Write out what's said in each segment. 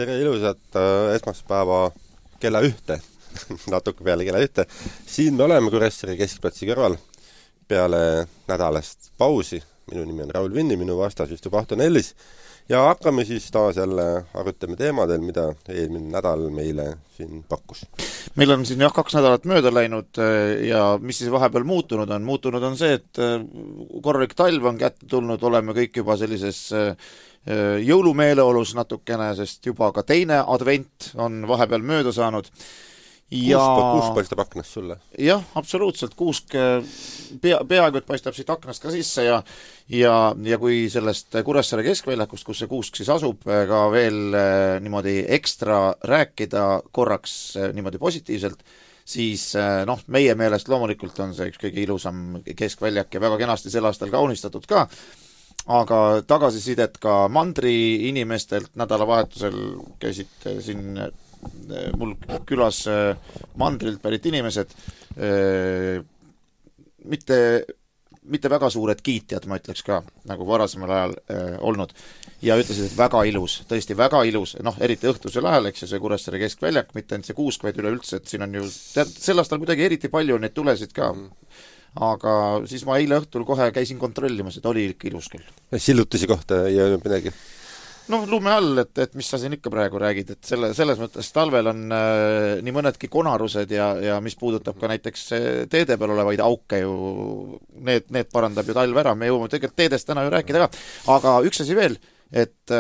tere ilusat esmaspäeva kella 1, natuke peale kella 1. Siin me oleme Kuressaare keskplatsi kõrval peale nädalast pausi. Minu nimi on Raul Vinni, minu vastas istub Ahto Nellis. Ja hakkame siis taas jälle arutame teemadel, mida eelmine nädal meile siin pakkus. Meil on siin 2 nädalat mööda läinud ja mis siis vahepeal muutunud on? Muutunud on see, et korralik talv on kätte tulnud, oleme kõik juba sellises jõulumeeleolus natukene, sest juba ka teine advent on vahepeal mööda saanud. Kuusk paistab aknast sulle? Jah, absoluutselt. Kuusk peaaegu et paistab siit aknast ka sisse ja kui sellest Kuressaare keskväljakust, kus see kuusk siis asub, ka veel niimoodi ekstra rääkida korraks niimoodi positiivselt, siis meie meelest loomulikult on see üks kõige ilusam keskväljak ja väga kenasti sel aastal kaunistatud ka. Aga tagasisidet ka mandri inimestelt nädalavahetusel käisid siin mul külas mandrilt pärit inimesed, mitte väga suured kiitjad, ma ütleks ka, nagu varasemal ajal olnud, ja ütlesid, et väga ilus, tõesti väga ilus, eriti õhtusel ajal, eks see Kuressaare keskväljak, mitte ainult see kuusk, vaid üleüldse, et siin on ju sel aastal kuidagi eriti palju neid tulesid ka. Aga siis ma eile õhtul kohe käisin kontrollimas, et oli ikka ilus küll. Sillutisi kohta ei olnud midagi? Lume all, et mis sa siin ikka praegu räägid, et selles mõttes talvel on nii mõnedki konarused ja mis puudutab ka näiteks teede peal olevaid auke ju, need parandab ju talv ära, me jõuame tegelikult teedest täna ju rääkida ka, aga üks asi veel, et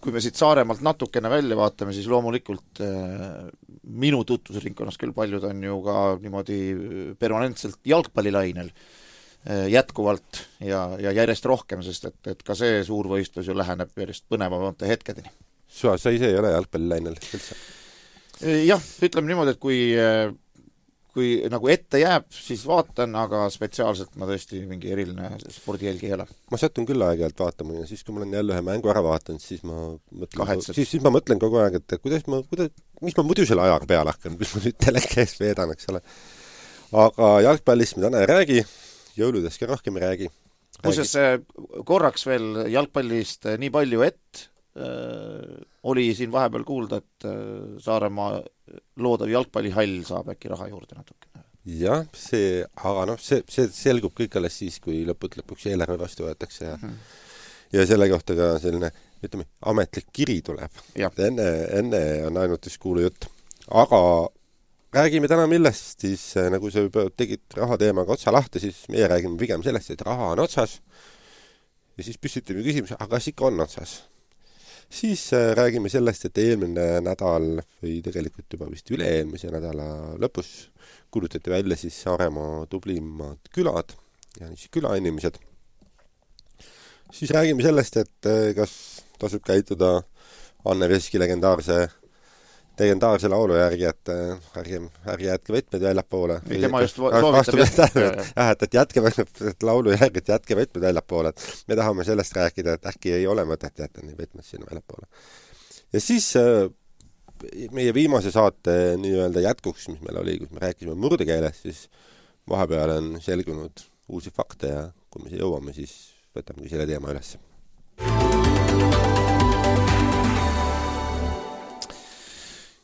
kui me siit Saaremaalt natukene välja vaatame, siis loomulikult minu tutvusringkonnas küll paljud on ju ka niimoodi permanentselt jalgpallilainel jätkuvalt ja järjest rohkem, sest et ka see suurvõistlus ju läheneb järjest põnevamate hetkedeni. Sa ise ei ole jalgpallilainel üldse? Jah, ütleme niimoodi, et kui nagu ette jääb, siis vaatan, aga spetsiaalselt ma tõesti mingi eriline spordijälgi ei ole. Ma satun küll aeg-ajalt vaatama ja siis, kui ma olen jälle ühe mängu ära vaatanud, siis ma mõtlen kogu aeg, et mis ma muidu selle ajaga peale hakkan, mis ma nüüd telekäes veedan, eks ole. Aga jalgpallist me täna ei räägi, jõuludest ka rohkem ei räägi. Muuseas, korraks veel jalgpallist nii palju, et oli siin vahepeal kuulda, et Saaremaa loodav jalgpallihall saab äkki raha juurde natukene. Jah, aga see selgub kõik alles siis, kui lõpuks eelarve vastu võetakse ja selle kohta ka selline, ütleme, ametlik kiri tuleb. Enne on ainult üks kuulu jutt. Aga räägime täna millest, siis nagu sa juba tegid rahateemaga otsa lahti, siis meie räägime pigem sellest, et raha on otsas ja siis püstitame küsimus, aga kas ikka on otsas? Siis räägime sellest, et eelmine nädal või tegelikult juba vist üle-eelmise nädala lõpus kuulutati välja siis Saaremaa tublimad külad ja siis külainimesed. Siis räägime sellest, et kas tasub käituda Anne Veski legendaarse laulu järgi, et ärge jätke võtmed väljapoole. Tema just soovitab et jätke laulu järgi, et jätke võtmed väljapoole. Me tahame sellest rääkida, et äkki ei ole mõtet jätta nii võtmed sinna väljapoole. Ja siis meie viimase saate nii-öelda jätkuks, mis meil oli, kus me rääkisime murdekeeles, siis vahepeal on selgunud uusi fakte ja kui me jõuame, siis võtamegi selle teema üles.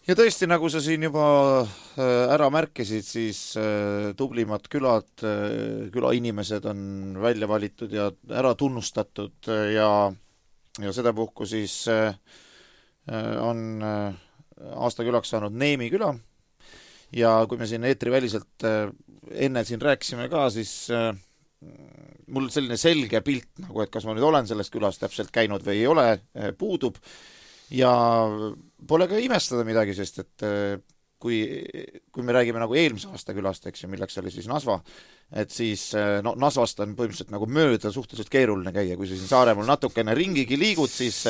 Ja tõesti, nagu sa siin juba ära märkisid, siis tublimad külainimesed on välja valitud ja ära tunnustatud ja sedapuhku siis on aastakülaks saanud Neemi küla. Ja kui me siin eetriväliselt enne siin rääkisime ka, siis mul selline selge pilt, nagu et kas ma nüüd olen sellest külas täpselt käinud või ei ole, puudub. Ja pole ka imestada midagi, sest et kui me räägime nagu eelmise aasta külast, eks ju, milleks oli siis Nasva, et siis Nasvast on põhimõtteliselt nagu mööda suhteliselt keeruline käia, kui sa siin Saaremaal natukene ringigi liigud, siis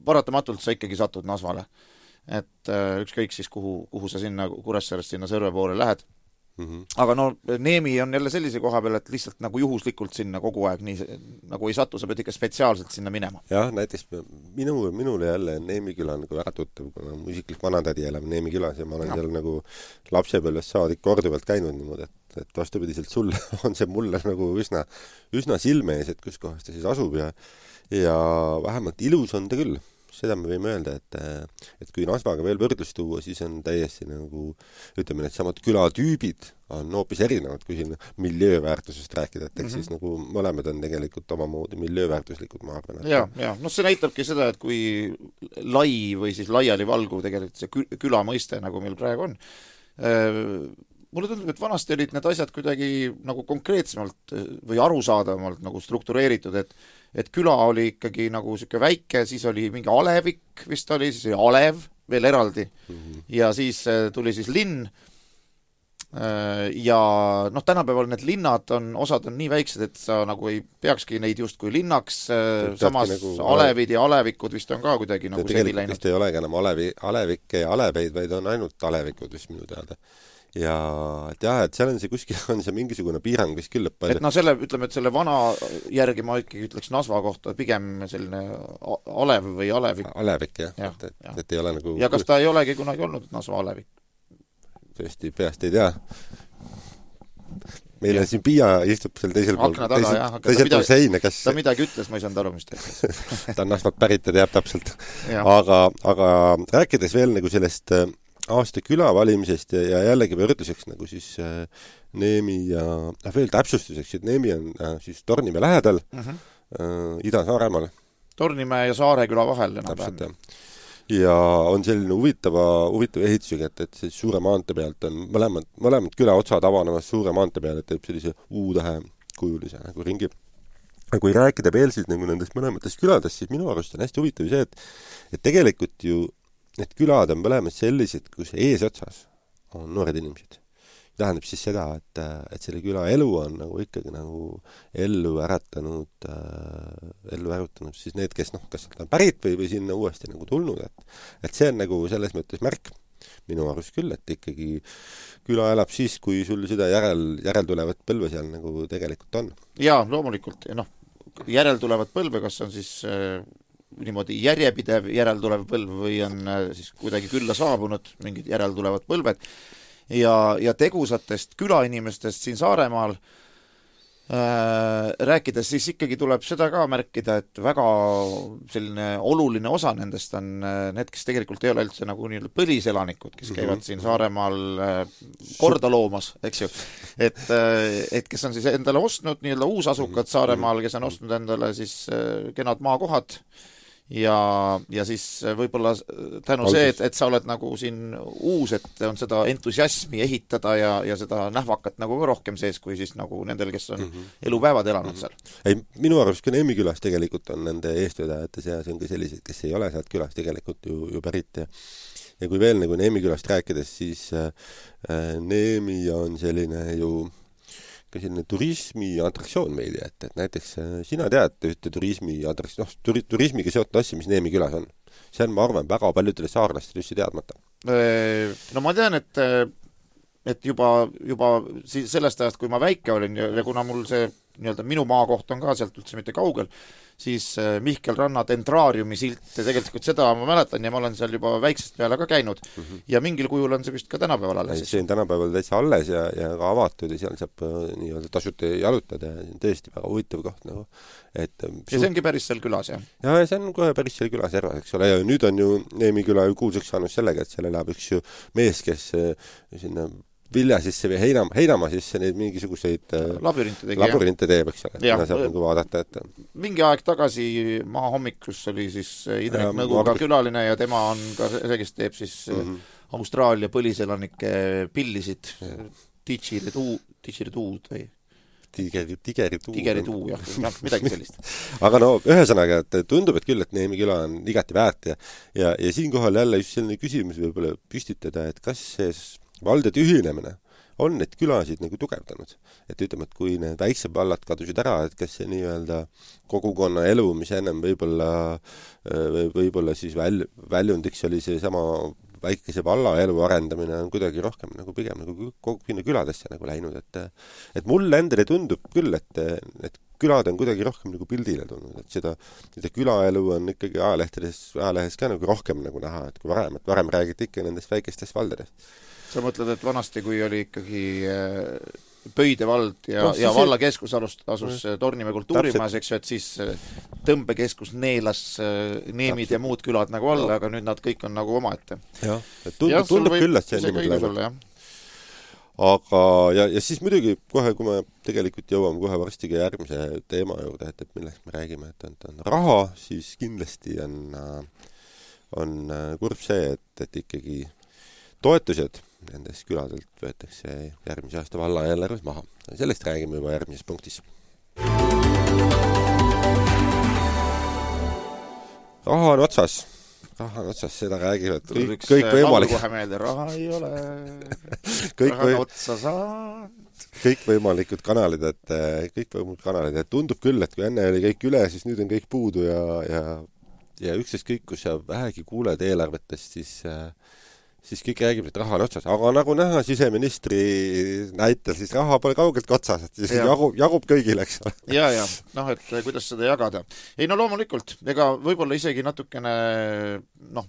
paratamatult sa ikkagi satud Nasvale. Et ükskõik siis, kuhu sa sinna Kuressaarest sinna Sõrve poole lähed. Aga Neemi on jälle sellise koha peal, et lihtsalt nagu juhuslikult sinna kogu aeg nii nagu ei satu, sa pead ikka spetsiaalselt sinna minema. Jah, näiteks minule jälle Neemi küla nagu väga tuttav, kuna mu isiklik vanatädi elab Neemi külas ja ma olen seal nagu lapsepõlvest saadik korduvalt käinud niimoodi, et vastupidiselt sulle on see mulle nagu üsna silme ees, et kus kohas ta siis asub ja vähemalt ilus on ta küll. seda me võime öelda, et kui Nasvaga veel võrdlus tuua, siis on täiesti nagu, ütleme, need samad külatüübid on hoopis erinevad, kui siin miljööväärtusest rääkida, et siis nagu mõlemad on tegelikult omamoodi miljööväärtuslikud, ma arvan. Ja, see näitabki seda, et kui lai või siis laiali valguv tegelikult see küla mõiste, nagu meil praegu on. Mulle tundub, et vanasti olid need asjad kuidagi nagu konkreetsemalt või arusaadavamalt nagu struktureeritud, et küla oli ikkagi nagu selline väike, siis oli mingi alevik vist oli, siis oli alev veel eraldi ja siis tuli siis linn ja tänapäeval need linnad osad on nii väiksed, et sa nagu ei peakski neid justkui linnaks, samas nagu alevid ja alevikud vist on ka kuidagi nagu segi läinud. Tegelikult ei olegi enam alevikke ja aleveid, vaid on ainult alevikud vist minu teada. Ja et jah, et seal on see kuskil on see mingisugune piirang vist küll palju. Et ütleme, et selle vana järgi ma ikkagi ütleks Nasva kohta pigem selline alev või alevik. Alevik, jah. Et ei ole nagu... Ja kas ta ei olegi kunagi olnud Nasva alevik? Tõesti, peast ei tea. Meil on siin Piia istub seal teisel pool. Akna taga, teisel pool seina, kas... Ta midagi ütles, ma ei saanud aru, mis ta ütles. Ta on Nasvat pärit ja teab täpselt. Aga rääkides veel nagu sellest... aasta küla valimisest ja jällegi võrdluseks nagu siis Neemi ja veel täpsustuseks, et Neemi on siis Tornimäe lähedal Ida-Saaremaal. Tornimäe ja Saareküla vahel. Täpselt, ja on selline huvitav ehitusega, et see suure maante pealt on mõlemad küla otsad avanemas suure maante peal, et teeb sellise U-tähe kujulise nagu ringi. Aga kui rääkida veel siis nagu nendest mõlematest küladest, siis minu arust on hästi huvitav see, et tegelikult ju need külad on mõlemad sellised, kus eesotsas on noored inimesed. Tähendab siis seda, et selle küla elu on nagu ikkagi nagu ellu äratanud siis need, kes kas sealt on pärit või sinna uuesti nagu tulnud. Et see on nagu selles mõttes märk minu arust küll, et ikkagi küla elab siis, kui sul seda järel tulevat põlve seal nagu tegelikult on. Jaa, loomulikult. Ja järel tulevat põlve, kas on siis... niimoodi järjepidev järeltulev põlv või on siis kuidagi külla saabunud mingid järeltulevad põlved ja tegusatest külainimestest siin Saaremaal rääkides siis ikkagi tuleb seda ka märkida, et väga selline oluline osa nendest on need, kes tegelikult ei ole üldse nagu nii põliselanikud, kes käivad siin Saaremaal korda loomas, eks ju. Et kes on siis endale ostnud nii-öelda uusasukad Saaremaal, kes on ostnud endale siis kenad maakohad ja siis võib-olla tänu see, et sa oled nagu siin uus, et on seda entusiasmi ehitada ja seda nähvakat nagu ka rohkem sees, kui siis nagu nendel, kes on elupäevad elanud seal. Ei, minu arust ka Neemi külas tegelikult on nende eestvedajate seas on ka sellised, kes ei ole sealt külas tegelikult ju pärit ja kui veel nagu Neemi külast rääkides, siis Neemi on selline ju selline turismi atraktsioon meili, et näiteks sina tead ühte turismiga seotud asja, mis Neemi külas on. See on, ma arvan, väga paljudele saarlastele üldse teadmata. No ma tean, et juba sellest ajast, kui ma väike olin ja kuna mul see nii-öelda minu maakoht on ka sealt üldse mitte kaugel, siis Mihkel Ranna Dendraariumi silt ja tegelikult seda ma mäletan ja ma olen seal juba väiksest peale ka käinud ja mingil kujul on see vist ka tänapäeval alles. See on tänapäeval täitsa alles ja ka avatud ja seal saab nii-öelda tasuta jalutada ja see on tõesti väga huvitav koht nagu. Ja see ongi päris seal külas, jah? Ja see on kohe päris seal külas järvas, eks ole, ja nüüd on ju Neemi küla ju kuulsaks saanud sellega, et seal elab üks ju mees, kes sinna vilja sisse või heinamaa sisse neid mingisuguseid labürinte teeb, eks ole. Ja, saab nagu vaadata, et... Mingi aeg tagasi Maahommikus oli siis Indrek Nõguga külaline ja tema on ka see, kes teeb siis Austraalia põliselanike pillisid Didgeridoo'd või... Tigerituu, jah, midagi sellist. Aga no, ühesõnaga, et tundub, et küll, et Neemi küla on igati väärt ja siinkohal jälle just selline küsimus võib-olla püstitada, et kas see valdade ühinemine on neid külasid nagu tugevdanud. Et ütleme, et kui need väiksed vallad kadusid ära, et kas see nii-öelda kogukonna elu, mis ennem võib-olla siis väljundiks oli see sama väikese valla elu arendamine on kuidagi rohkem nagu pigem nagu sinna küladesse nagu läinud, et mulle endale tundub küll, et külad on kuidagi rohkem nagu pildile tulnud, et seda külaelu on ikkagi ajalehes ka nagu rohkem nagu näha, et kui varem räägiti ikka nendest väikestest valdadest. Sa mõtled, et vanasti, kui oli ikkagi Pöide vald ja vallakeskus asus Tornimäe kultuurimajas, eks ju, et siis tõmbekeskus neelas Neemid ja muud külad nagu alla, aga nüüd nad kõik on nagu omaette. Jah, tundub küll, et see niimoodi läinud. Aga, ja siis muidugi kohe, kui me tegelikult jõuame kohe varsti ka järgmise teema juurde, et millest me räägime, et on raha, siis kindlasti on kurb see, et ikkagi toetused nendest küladelt võetakse järgmise aasta valla eelarves maha. Sellest räägime juba järgmises punktis. Raha on otsas, seda räägivad kõik võimalik. Kohe meelde, raha ei ole, raha on otsa saanud. Kõik võimalikud kanalid, et tundub küll, et kui enne oli kõik üle, siis nüüd on kõik puudu ja üksteist kõik, kus sa vähegi kuuled eelarvetest, siis kõik räägib, et raha on otsas. Aga nagu näha siseministri näitel, siis raha pole kaugelt otsas, et siis jagub kõigile, eks ole. Ja, et kuidas seda jagada. Ei, no loomulikult, ega võib-olla isegi natukene,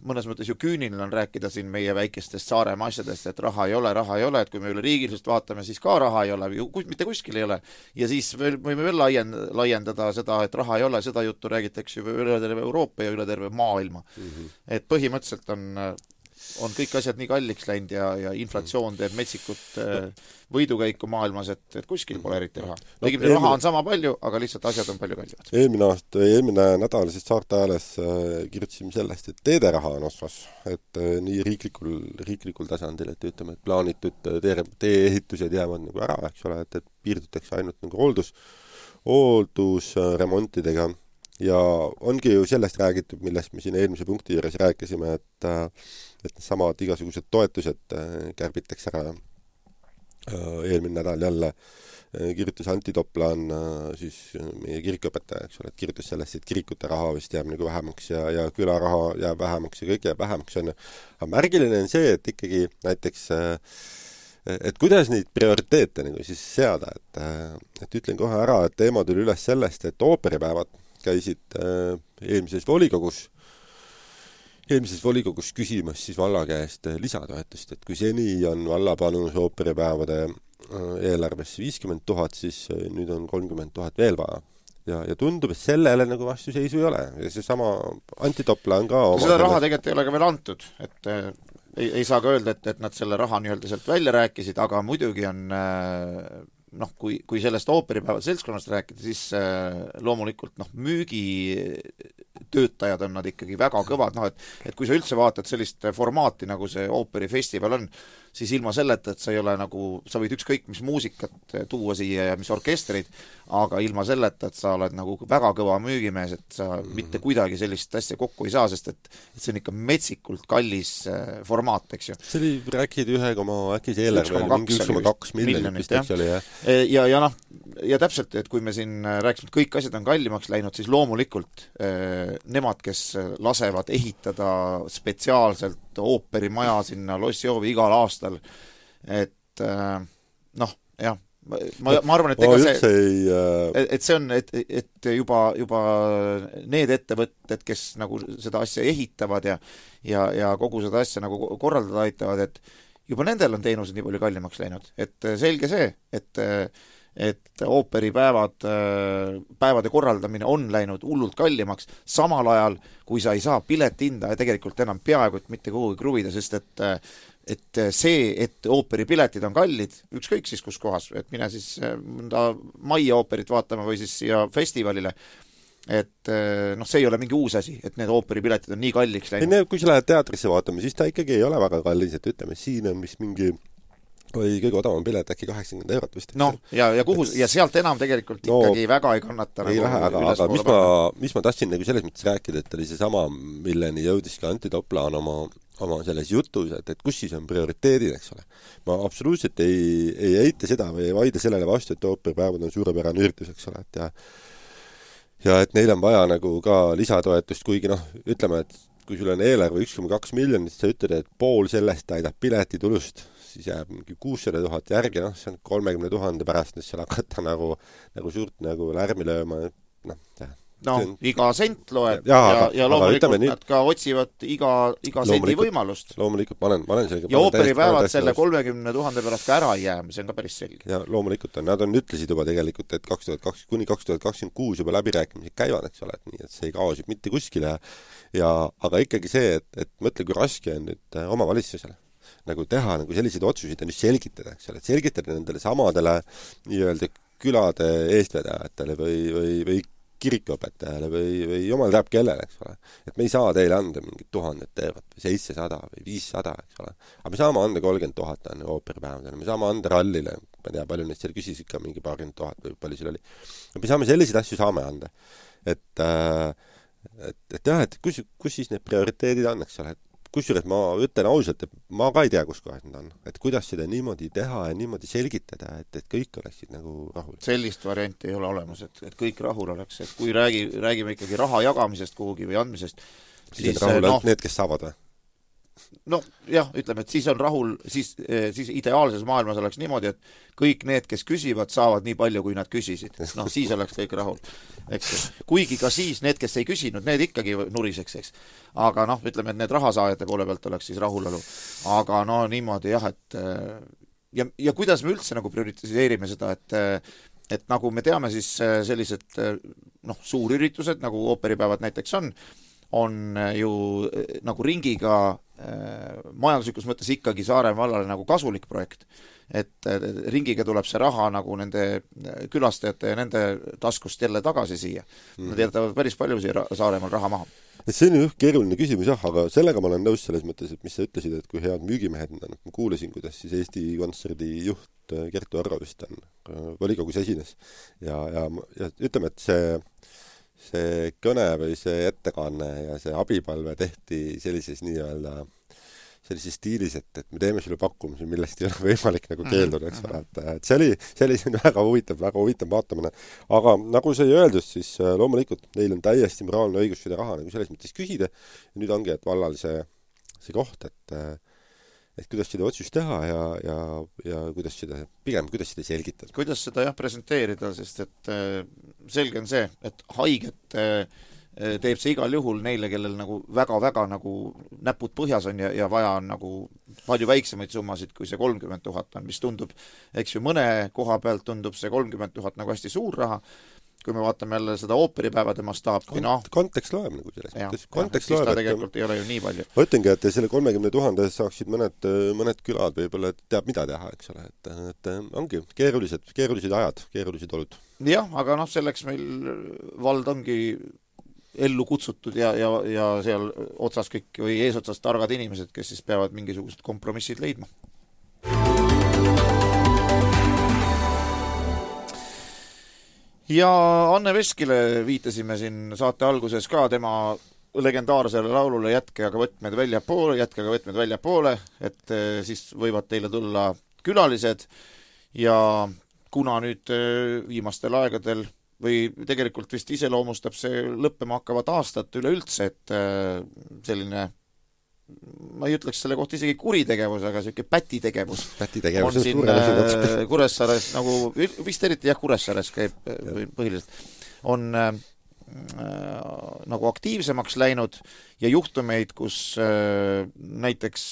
mõnes mõttes ju küüniline on rääkida siin meie väikestest Saaremaa asjadest, et raha ei ole, et kui me üle riigilisest vaatame, siis ka raha ei ole, mitte kuskil ei ole. Ja siis võime veel laiendada seda, et raha ei ole, seda juttu räägitakse üle terve Euroopa ja üle terve maailma. Et põhimõtteliselt on kõik asjad nii kalliks läinud ja inflatsioon teeb metsikut võidukäiku maailmas, et kuskil pole eriti raha. Raha on sama palju, aga lihtsalt asjad on palju kallimad. Eelmine nädal siis Saarte Ajales kirjutasime sellest, et teederaha on osvas, et nii riiklikul tasandil, et ütleme, et plaanitud tee-ehitused jäävad nagu ära, eks ole, et piirdutakse ainult nagu hooldusremontidega. Ja ongi ju sellest räägitud, millest me siin eelmise punkti juures rääkisime, et samad igasugused toetused kärbitakse ära. Eelmine nädal jälle kirjutas Antti Toplan, siis meie kirikuõpetaja, eks ole, et kirjutas sellest, et kirikute raha vist jääb nagu vähemaks ja külaraha jääb vähemaks ja kõik jääb vähemaks. Aga märgiline on see, et ikkagi näiteks et kuidas neid prioriteete nagu siis seada, et ütlen kohe ära, et teema tuli üles sellest, et ooperipäevad käisid eelmises volikogus küsimas siis valla käest lisatoetust, et kui seni on valla panus ooperipäevade eelarvesse 50 000, siis nüüd on 30 000 veel vaja. Ja tundub, et sellele nagu vastuseisu ei ole. Ja see sama Antti Topla on ka seda raha tegelikult ei ole ka veel antud, et ei saa ka öelda, et nad selle raha nii-öelda sealt välja rääkisid, aga muidugi on kui sellest ooperipäevad seltskonnast rääkida, siis loomulikult müügitöötajad on nad ikkagi väga kõvad, et kui sa üldse vaatad sellist formaati, nagu see ooperifestival on, siis ilma selleta, et sa ei ole nagu, sa võid ükskõik mis muusikat tuua siia ja mis orkestrid, aga ilma selleta, et sa oled nagu väga kõva müügimees, et sa mitte kuidagi sellist asja kokku ei saa, sest et see on ikka metsikult kallis formaat, eks ju. See oli rääkid 1,2 miljonit, eks oli, jah? Ja täpselt, et kui me siin rääkisime, et kõik asjad on kallimaks läinud, siis loomulikult nemad, kes lasevad ehitada spetsiaalselt ooperimaja sinna Lossjoovi igal aastal, et ma arvan, et ega see on, et juba need ettevõtted, kes nagu seda asja ehitavad ja kogu seda asja nagu korraldada aitavad, et juba nendel on teenused nii palju kallimaks läinud, et selge see, et ooperipäevade korraldamine on läinud hullult kallimaks, samal ajal, kui sa ei saa piletihinda ja tegelikult enam peaaegu et mitte kuhugi kruvida, sest et see, et ooperipiletid on kallid, ükskõik siis kus kohas, et mine siis Maia ooperit vaatama või siis siia festivalile, et see ei ole mingi uus asi, et need ooperipiletid on nii kalliks läinud. Kui sa lähed teatrisse vaatama, siis ta ikkagi ei ole väga kallis, et ütleme, siin on mis mingi või kõige odavam pilet äkki 80 eurot vist. Ja sealt enam tegelikult ikkagi väga ei kannata. Ei lähe, aga mis ma tahtsin nagu selles mõttes rääkida, et oli see sama, milleni jõudis ka Antti Toplaan oma selles jutus, et kus siis on prioriteedid, eks ole. Ma absoluutselt ei eita seda või ei vaida sellele vastu, et ooperipäevad on suurepärane üritus, eks ole, ja et neil on vaja nagu ka lisatoetust, kuigi ütleme, et kui sul on eelarve 1,2 miljonit, sa ütled, et pool sellest täidab piletitulust, siis jääb mingi 600 000 järgi, see on 30 000 pärast, seal hakata nagu suurt nagu lärmi lööma, iga sent loeb ja loomulikult nad ka otsivad iga sendi võimalust. Loomulikult, ma olen sellega... Ja ooperipäevad selle 30 000 pärast ka ära ei jää, see on ka päris selge. Ja loomulikult nad ütlesid juba tegelikult, et kuni 2026 juba läbirääkimised käivad, eks ole, et nii, et see ei kaosib mitte kuskile. Aga ikkagi see, et mõtle, kui raske on nüüd omavalitsusele nagu teha nagu selliseid otsuseid ja nüüd selgitada, eks ole, et selgitada nendele samadele nii-öelda külade eestvedajatele või kirikuõpetajale või jumal teab kellele, eks ole. Et me ei saa teile anda mingit 1000 eurot või 700 või 500, eks ole. Aga me saame anda 30 000 ooperipäevadele, me saame anda rallile, ma tea, palju neid seal küsisid ka mingi 20 000 või palju seal oli. Me saame selliseid asju saame anda. Et jah, et kus siis need prioriteedid on, eks ole, et kusjuures ma ütlen ausalt, et ma ka ei tea, kus kohas need on. Et kuidas seda niimoodi teha ja niimoodi selgitada, et kõik oleksid nagu rahul. Sellist varianti ei ole olemas, et kõik rahul oleks. Et kui räägime ikkagi raha jagamisest kuhugi või andmisest, siis rahul on need, kes saavad või? Jah, ütleme, et siis on rahul, siis ideaalses maailmas oleks niimoodi, et kõik need, kes küsivad, saavad nii palju, kui nad küsisid. Siis oleks kõik rahul. Eks. Kuigi ka siis need, kes ei küsinud, need ikkagi nuriseks, eks. Aga ütleme, et need rahasaajate poole pealt oleks siis rahulolu. Aga niimoodi jah, et ja kuidas me üldse nagu prioritiseerime seda, et nagu me teame, siis sellised suurüritused, nagu ooperipäevad näiteks on ju nagu ringiga majanduslikus mõttes ikkagi Saaremaa vallale nagu kasulik projekt. Et ringiga tuleb see raha nagu nende külastajate ja nende taskust jälle tagasi siia. Nad jätavad päris palju siia Saaremaal raha maha. See on ju keeruline küsimus, aga sellega ma olen nõus selles mõttes, et mis sa ütlesid, et kui head müügimehed on. Ma kuulasin, kuidas siis Eesti Kontserdi juht Kertu Arro vist on volikogus esines. Ja ütleme, et see kõne või see ettekanne ja see abipalve tehti sellises stiilis, et me teeme sulle pakkumise, millest ei ole võimalik nagu keelduda, eks ole. Et see oli väga huvitav vaatamine. Aga nagu sai öeldud, siis loomulikult neil on täiesti moraalne õigus seda raha nagu selles mõttes küsida. Ja nüüd ongi, et vallal see koht, et kuidas seda otsust teha ja kuidas seda selgitada. Kuidas seda presenteerida, sest et selge on see, et haiget teeb see igal juhul neile, kellel nagu väga-väga nagu näpud põhjas on ja vaja on nagu palju väiksemaid summasid, kui see 30 000 on, mis tundub, eks ju, mõne koha pealt tundub see 30 000 nagu hästi suur raha. Kui me vaatame jälle seda ooperipäevade mastaapki, kontekst loeb nagu selles mõttes. Kontekst loeb, et tegelikult ei ole ju nii palju. Ma ütlengi, et selle 30 000 saaksid mõned külad võib-olla teab mida teha, eks ole. Et ongi keerulised ajad, keerulised olud. Jah, aga selleks meil vald ongi ellu kutsutud ja seal otsas kõik või eesotsas targad inimesed, kes siis peavad mingisugused kompromissid leidma. Ja Anne Veskile viitasime siin saate alguses ka tema legendaarsele laulule Jätke aga võtmed väljapoole, et siis võivad teile tulla külalised ja kuna nüüd viimastel aegadel või tegelikult vist iseloomustab see lõppema hakkavat aastat üleüldse, et selline, ma ei ütleks selle kohta isegi kuritegevus, aga selline pätitegevus on siin Kuressaares, nagu vist eriti Kuressaares käib põhiliselt, on nagu aktiivsemaks läinud ja juhtumeid, kus näiteks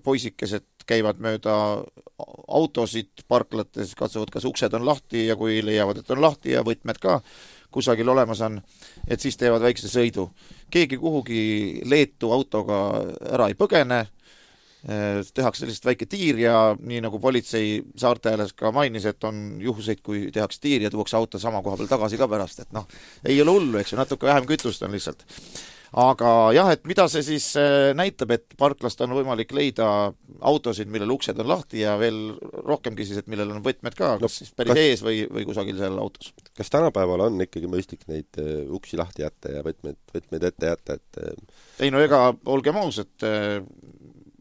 poisikesed käivad mööda autosid parklates, katsuvad, kas uksed on lahti ja kui leiavad, et on lahti ja võtmed ka kusagil olemas on, et siis teevad väikse sõidu. Keegi kuhugi Leetu autoga ära ei põgene, tehakse sellist väike tiir ja nii nagu politsei saarte ääles ka mainis, et on juhuseid, kui tehakse tiir ja tuuakse auto sama koha peal tagasi ka pärast, et ei ole hullu, eks ju, natuke vähem kütust on lihtsalt. Aga jah, et mida see siis näitab, et parklast on võimalik leida autosid, millel uksed on lahti ja veel rohkemgi siis, et millel on võtmed ka, kas siis päris ees või kusagil seal autos. Kas tänapäeval on ikkagi mõistlik neid uksi lahti jätta ja võtmed ette jätta? Ei no ega olgem aus, et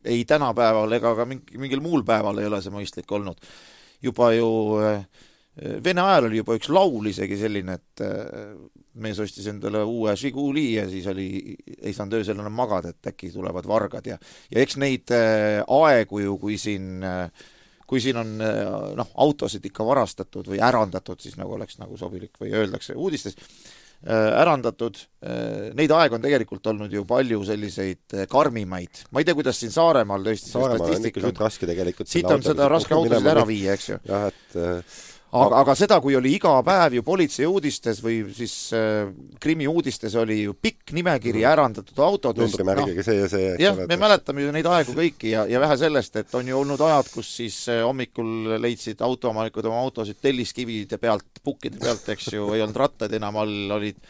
ei tänapäeval ega ka mingil muul päeval ei ole see mõistlik olnud. Juba ju Vene ajal oli juba üks laul isegi selline, et mees ostis endale uue Žiguli ja siis ei saanud öösel enam magada, et äkki tulevad vargad ja eks neid aegu ju, kui siin on autosid ikka varastatud või ärandatud, siis nagu oleks nagu sobilik või öeldakse uudistes, ärandatud. Neid aeg on tegelikult olnud ju palju selliseid karmimaid. Ma ei tea, kuidas siin Saaremaal tõesti Saaremaal on ikka raske tegelikult. Siit on seda raske autosid ära viia, eks ju. Jah, et aga seda, kui oli iga päev ju politsei uudistes või siis krimi uudistes oli ju pikk nimekiri ärandatud autodest. Numbrimärgiga see ja see. Jah, me mäletame ju neid aegu kõiki ja vähe sellest, et on ju olnud ajad, kus siis hommikul leidsid autoomanikud oma autosid telliskivide pealt, pukkide pealt, eks ju, ei olnud rattaid enam all, olid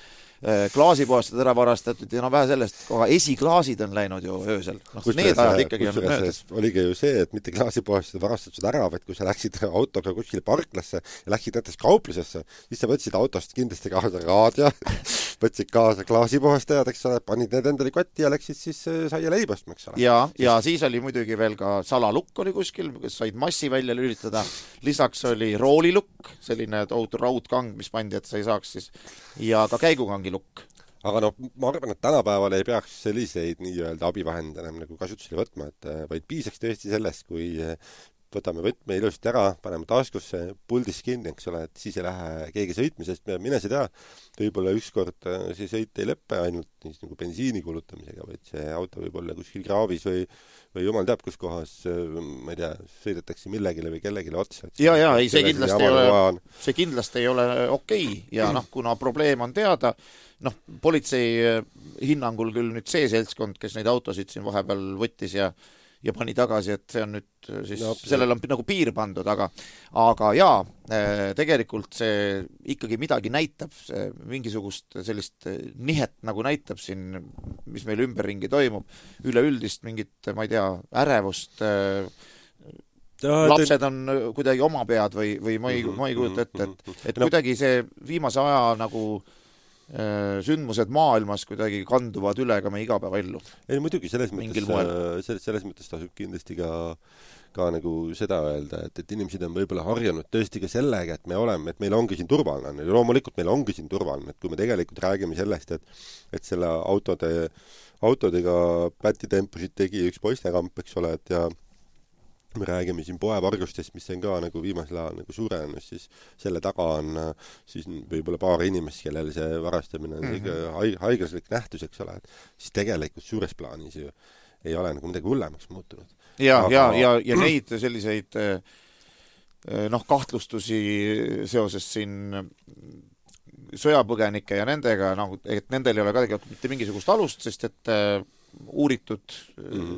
klaasipoestad ära varastatud ja vähe sellest, aga esiklaasid on läinud ju öösel. Need ajad ikkagi on möödas. Oligi ju see, et mitte klaasipoestad varastatud ära, vaid kui sa läksid autoga kuskile parklasse ja läksid näiteks kauplusesse, siis sa võtsid autost kindlasti kaasa raadio, võtsid kaasa klaasipoestajad, eks ole, panid need endale kotti ja läksid siis saia leibostma, eks ole. Ja siis oli muidugi veel ka salalukk oli kuskil, kes said massi välja lülitada. Lisaks oli roolilukk, selline tohutu raudkang, mis pandi, et sa ei saaks siis, ja ka käigukangi lukk. Aga ma arvan, et tänapäeval ei peaks selliseid nii-öelda abivahend enam nagu kasutusele võtma, et vaid piisaks tõesti sellest, kui võtame võtme ilusasti ära, paneme taskusse, puldis kinni, eks ole, et siis ei lähe keegi sõitma, sest mine sa tea, võib-olla ükskord see sõit ei lõppe ainult siis nagu bensiini kulutamisega, vaid see auto võib olla kuskil kraavis või jumal teab, kus kohas, ma ei tea, sõidetakse millegile või kellegile otsa. Ja, ei, see kindlasti ei ole okei. Ja kuna probleem on teada, politsei hinnangul küll nüüd see seltskond, kes neid autosid siin vahepeal võttis ja pani tagasi, et see on nüüd siis, sellel on nagu piir pandud, aga jaa, tegelikult see ikkagi midagi näitab, see mingisugust sellist nihet nagu näitab siin, mis meil ümberringi toimub, üleüldist mingit, ma ei tea, ärevust, lapsed on kuidagi oma pead või ma ei kujuta ette, et kuidagi see viimase aja nagu sündmused maailmas kuidagi kanduvad üle ka meie igapäevaellu. Ei, muidugi, selles mõttes tasub kindlasti ka nagu seda öelda, et inimesed on võib-olla harjunud tõesti ka sellega, et meil ongi siin turvaline. Loomulikult meil ongi siin turvaline, et kui me tegelikult räägime sellest, et selle autodega pätitempusid tegi üks poistekamp, eks ole, et ja me räägime siin poevargustest, mis on ka nagu viimasel ajal nagu suurenenud, siis selle taga on siis võib-olla paar inimest, kellel see varastamine on haiglaslik nähtus, eks ole, et siis tegelikult suures plaanis ju ei ole nagu midagi hullemaks muutunud. Ja neid selliseid kahtlustusi seoses siin sõjapõgenike ja nendega, et nendel ei ole ka tegelikult mitte mingisugust alust, sest et uuritud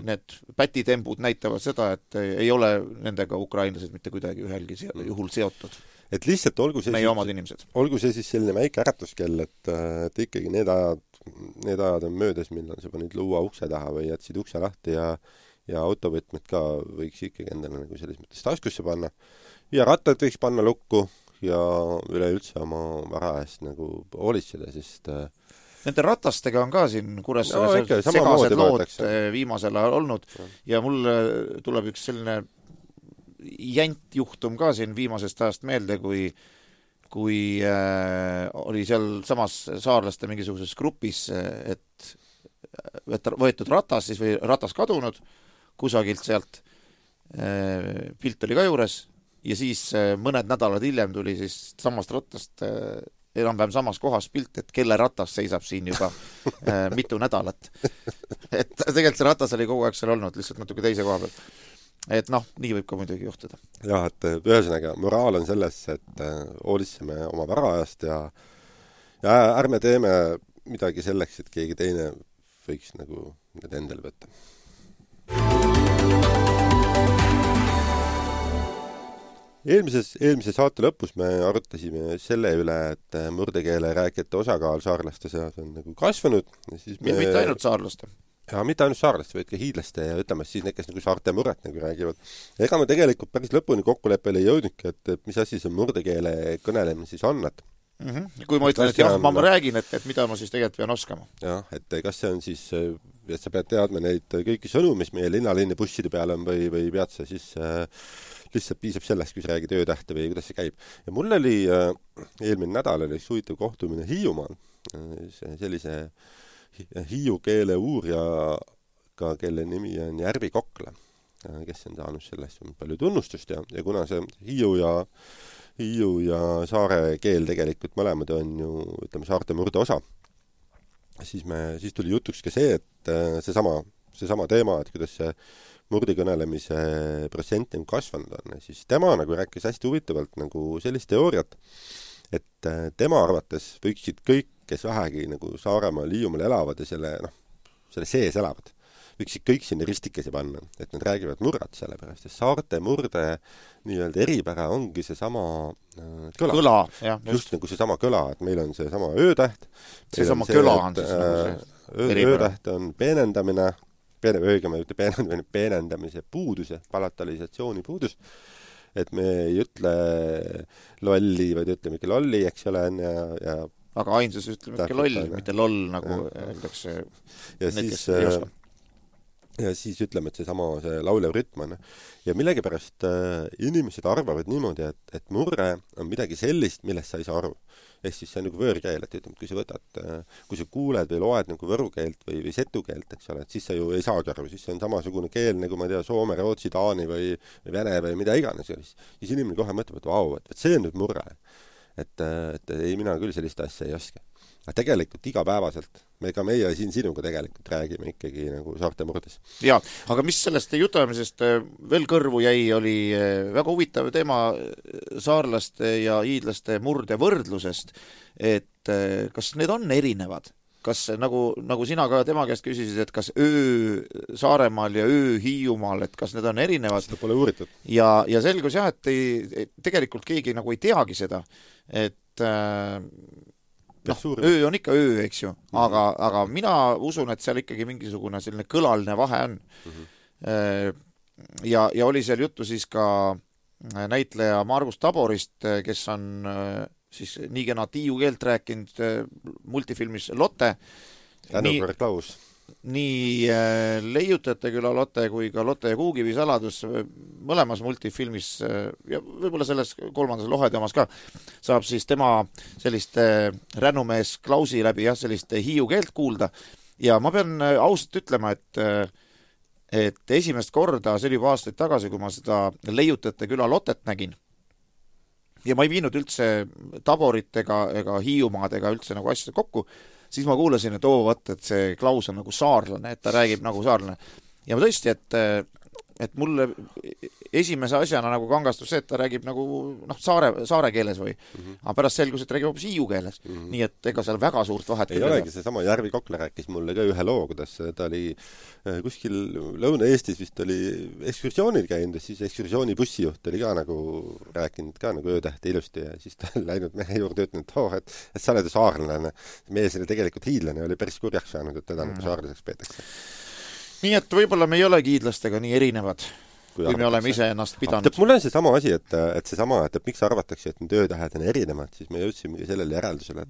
need pätitembud näitavad seda, et ei ole nendega ukrainlased mitte kuidagi ühelgi juhul seotud. Et lihtsalt olgu see siis selline väike äratuskell, et ikkagi need ajad on möödas, millal sa panid luua ukse taha või jätsid ukse lahti ja autovõtmed ka võiks ikkagi endale nagu selles mõttes taskusse panna. Ja rattad võiks panna lukku ja üleüldse oma vara eest nagu hoolitseda, sest nende ratastega on ka siin Kuressaares segased lood viimasel ajal olnud ja mul tuleb üks selline jäntjuhtum ka siin viimasest ajast meelde, kui oli seal samas saarlaste mingisuguses grupis, et võetud ratas siis või ratas kadunud kusagilt sealt, pilt oli ka juures ja siis mõned nädalad hiljem tuli siis samast rattast enam-vähem samas kohas pilt, et kelle ratas seisab siin juba mitu nädalat. Et tegelikult see ratas oli kogu aeg seal olnud, lihtsalt natuke teise koha peal. Et nii võib ka muidugi juhtuda. Jah, et ühesõnaga, moraal on selles, et hoolitseme oma varaajast ja ärme teeme midagi selleks, et keegi teine võiks nagu need endale võtta. Eelmise saate lõpus me arutasime selle üle, et murdekeele rääkijate osakaal saarlaste seas on nagu kasvanud. Mitte ainult saarlaste. Ja mitte ainult saarlaste, vaid ka hiidlaste ja ütleme siis need, kes nagu saarte murret nagu räägivad. Ega me tegelikult päris lõpuni kokkuleppele ei jõudnudki, et mis asi see murdekeele kõnelemine siis on, et kui ma ütlen, et jah, ma räägin, et mida ma siis tegelikult pean oskama. Jah, et kas see on siis, et sa pead teadma neid kõiki sõnu, mis meie linnalinni busside peal on või pead sa siis lihtsalt piisab sellest, kui sa räägid öötähte või kuidas see käib. Ja mul oli eelmine nädal oli huvitav kohtumine Hiiumaal sellise hiiu keele uurijaga, kelle nimi on Järvi Kokla, kes on saanud sellest palju tunnustust ja kuna see Hiiu Hiiu ja saare keel tegelikult mõlemad on ju, ütleme, saarte murde osa. Siis tuli jutuks ka see, et seesama teema, et kuidas see murdi kõnelemise protsent nagu kasvanud on. Siis tema nagu rääkis hästi huvitavalt nagu sellist teooriat, et tema arvates võiksid kõik, kes vähegi nagu Saaremaal, Hiiumaal elavad ja selle sees elavad, võiksid kõik sinna ristikesi panna, et nad räägivad murrat selle pärast, et saarte murde nii-öelda eripära ongi seesama kõla. Jah, just nagu seesama kõla, et meil on seesama öötäht. Seesama kõla on siis nagu see eripära. Öötäht on peenendamise puudus, palatalisatsiooni puudus, et me ei ütle lolli, vaid ütleme ikka lolli, eks ole, ja aga ainsus ütleme ikka loll, mitte loll, nagu öeldakse. Ja siis ütleme, et see laulev rütm on. Ja millegipärast inimesed arvavad niimoodi, et murre on midagi sellist, millest sa ei saa aru. Ehk siis see on nagu võõrkeel, et ütleme, kui sa kuuled või loed nagu võrukeelt või setukeelt, eks ole, et siis sa ju ei saagi aru, siis see on samasugune keel, nagu ma tea, Soome, Rootsi, Taani või Vene või mida iganes. Siis inimene kohe mõtleb, et vau, et see on nüüd murre. Et ei, mina küll sellist asja ei oska. Aga tegelikult igapäevaselt, meie siin sinuga tegelikult räägime ikkagi nagu saarte murdes. Jaa, aga mis sellest jutamisest veel kõrvu jäi, oli väga huvitav teema saarlaste ja hiidlaste murde võrdlusest, et kas need on erinevad? Kas nagu sina ka tema käest küsisid, et kas öö Saaremaal ja öö Hiiumaal, et kas need on erinevad? Seda pole uuritud. Ja selgus jah, et tegelikult keegi nagu ei teagi seda, et öö on ikka öö, eks ju, aga mina usun, et seal ikkagi mingisugune selline kõlaline vahe on. Ja oli seal juttu siis ka näitleja Margus Taborist, kes on siis nii kena Tiiu keelt rääkinud multifilmis Lotte. Tänupärast Klaus. Nii Leiutajate küla Lotte kui ka Lotte ja Kuukivi saladus mõlemas multifilmis ja võib-olla selles kolmandas Lohede omas ka saab siis tema sellist rännumees Klausi läbi sellist Hiiu keelt kuulda ja ma pean ausalt ütlema, et esimest korda, see oli juba aastaid tagasi, kui ma seda Leiutajate küla Lottet nägin ja ma ei viinud üldse Taborit ega Hiiumaad ega üldse nagu asjad kokku, siis ma kuulasin, et et see Klaus on nagu saarlane, et ta räägib nagu saarlane. Ja tõesti, et mulle esimese asjana nagu kangastus see, et ta räägib nagu saare keeles või, aga pärast selgus, et räägib hoopis hiiu keeles. Nii et ega seal väga suurt vahet ei olegi, see sama Järvi Kokla rääkis mulle ka ühe loo, kuidas ta oli kuskil Lõuna-Eestis vist oli ekskursioonil käinud, siis ekskursiooni bussijuht oli ka nagu rääkinud ka nagu öötähti ilusti ja siis ta oli läinud mehe juurde ütlenud, et sa oled saarlane. Mees oli tegelikult hiidlane, oli päris kurjaks saanud, et teda nagu saarlaseks peetakse. Nii et võib-olla me ei olegi hiidlastega nii erinevad, kui me oleme ise ennast pidanud. Mul on see sama asi, et miks arvatakse, et need öötähed on erinevad, siis me jõudsimegi sellele järeldusele,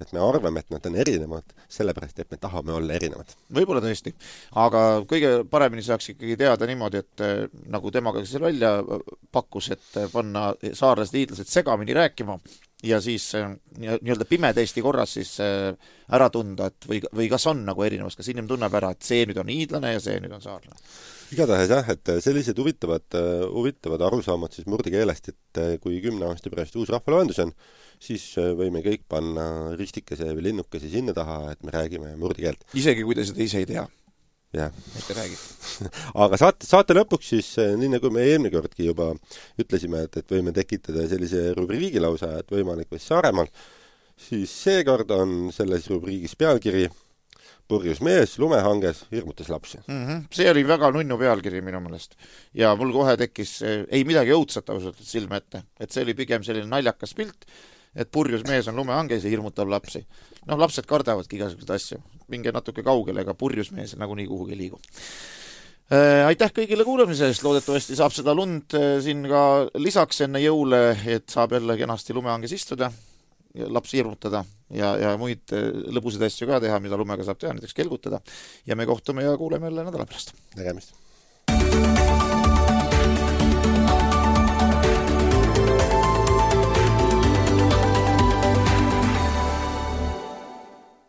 et me arvame, et nad on erinevad, sellepärast, et me tahame olla erinevad. Võib-olla tõesti, aga kõige paremini saaks ikkagi teada niimoodi, et nagu temaga seal välja pakkus, et panna saarlased hiidlased segamini rääkima ja siis nii-öelda pimedesti korras siis ära tunda, et või kas on nagu erinevus, kas inimene tunneb ära, et see nüüd on hiidlane ja see nüüd on saarlane. Igatahes jah, et sellised huvitavad arusaamad siis murdikeelest, et kui 10 aasta pärast uus rahvaloendus on, siis võime kõik panna ristikese või linnukese sinna taha, et me räägime murdikeelt. Isegi kui te seda ise ei tea. Jah. Et te räägid. Aga saate lõpuks siis, nii nagu me eelmine kordki juba ütlesime, et võime tekitada sellise rubriigi lausa, et võimalik või Saaremaal, siis seekord on selles rubriigis pealkiri Purjus mees lumehanges hirmutas lapsi. See oli väga nunnu pealkiri minu meelest. Ja mul kohe tekkis ei midagi õudsat ausalt silme ette. Et see oli pigem selline naljakas pilt, et purjus mees on lumehanges ja hirmutab lapsi. Lapsed kardavadki igasugused asju. Minge natuke kaugele, ega purjus mees nagu nii kuhugi liigu. Aitäh kõigile kuulamise eest. Loodetavasti saab seda lund siin ka lisaks enne jõule, et saab jälle kenasti lumehanges istuda ja lapsi hirmutada ja muid lõbusid asju ka teha, mida lumega saab teha, näiteks kelgutada. Ja me kohtume ja kuuleme jälle nädala pärast. Nägemist.